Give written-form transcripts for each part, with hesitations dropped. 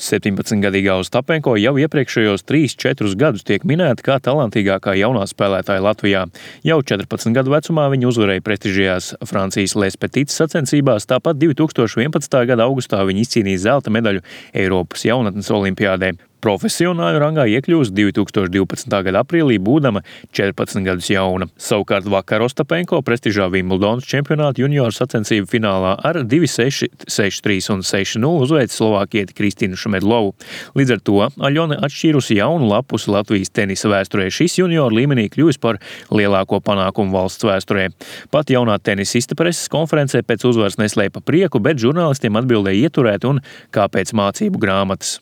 17-gadīgā Ostapenko jau iepriekšējos 3-4 gadus tiek minēta kā talantīgākā jaunā spēlētāja Latvijā. Jau 14 gadu vecumā viņa uzvarēja prestižajās Francijas Les Petites sacensībās, tāpat 2011. gada augustā viņa izcīnīja zelta medaļu Eiropas jaunatnes olimpiādē. Profesionāļu rangā iekļūst 2012. gada aprīlī, būdama 14 gadus jauna. Savukārt vakar Ostapenko prestižā Vimbuldonas čempionāta junioru sacensību finālā ar 2-6, 6-3 un 6-0 uzveica slovākieti Kristīnu Šmedlovu. Līdz ar to Aļona atšķīrusi jaunu lapusi Latvijas tenisa vēsturē. Šis junioru līmenī kļuvis par lielāko panākumu valsts vēsturē. Pat jaunā tenisiste preses konferencē pēc uzvaras neslēpa prieku, bet žurnālistiem atbildēja ieturēt un kāpēc mācību grāmatas.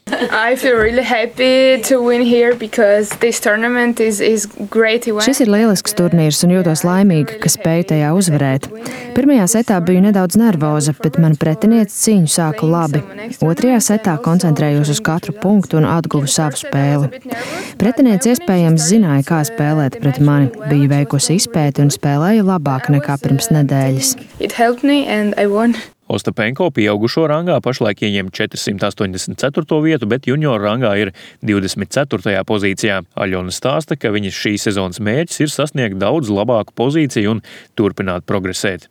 Šis ir lielisks turnīrs un jūtos laimīga, ka spēju tajā uzvarēt. Pirmajā setā biju nedaudz nervoza, bet man pretiniece cīņu sāka labi. Otrajā setā koncentrējos uz katru punktu un atguvu savu spēli. Pretiniece iespējams zināja, kā spēlēt pret mani, bija veikusi izpēti un spēlēja labāk nekā pirms nedēļas. Ostapenko pieaugušo rangā pašlaik ieņem 484. vietu, bet junioru rangā ir 24. pozīcijā. Aļona stāsta, ka viņas šī sezonas mērķis ir sasniegt daudz labāku pozīciju un turpināt progresēt.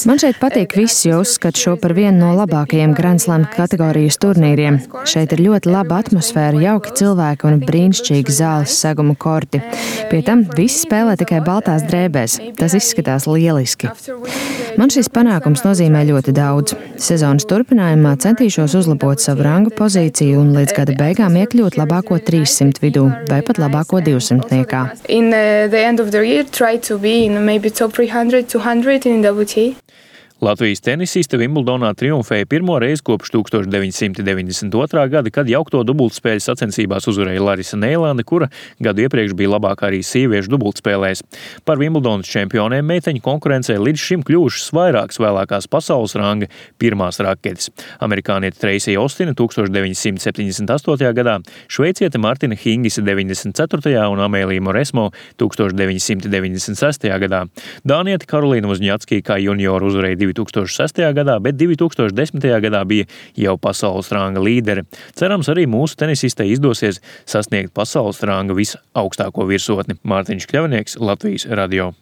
Man šeit patīk viss, jo uzskatu šo par vienu no labākajiem Grand Slam kategorijas turnīriem. Šeit ir ļoti laba atmosfēra, jauki cilvēki un brīnišķīgi zāles seguma korti. Pie tam visi spēlē tikai baltās drēbēs. Tas izskatās lieliski. Man šis panākums nozīmē ļoti daudz. Sezonas turpinājumā centīšos uzlabot savu rangu pozīciju un līdz gada beigām iekļūt labāko 300 vidū vai pat labāko 200-niekā. In the end of the year, try to be in maybe top 300, 200 in WTA. Latvijas tenisiste Vimbldonā triumfēja pirmo reizi kopš 1992. gada, kad jaukto dubultspēļu sacensībās uzvarēja Larisa Neilande, kura gadu iepriekš bija labākā arī sieviešu dubultspēlēs. Par Vimbuldonas čempionēm meiteņu konkurencē līdz šim kļuvušas vairākas vēlākās pasaules ranga pirmās raketes. Amerikāniete Treisija Ostina 1978. gadā, šveiciete Martina Hingise 94. un Amēlija Moresmo 1996. gadā. Dāniete Karolīna Vozņacki kā junioru uzvarēja 2006. gadā, bet 2010. gadā bija jau pasaules ranga līdere. Cerams, arī mūsu tenisistei izdosies sasniegt pasaules ranga visaugstāko virsotni. Mārtiņš Kļavnieks, Latvijas radio.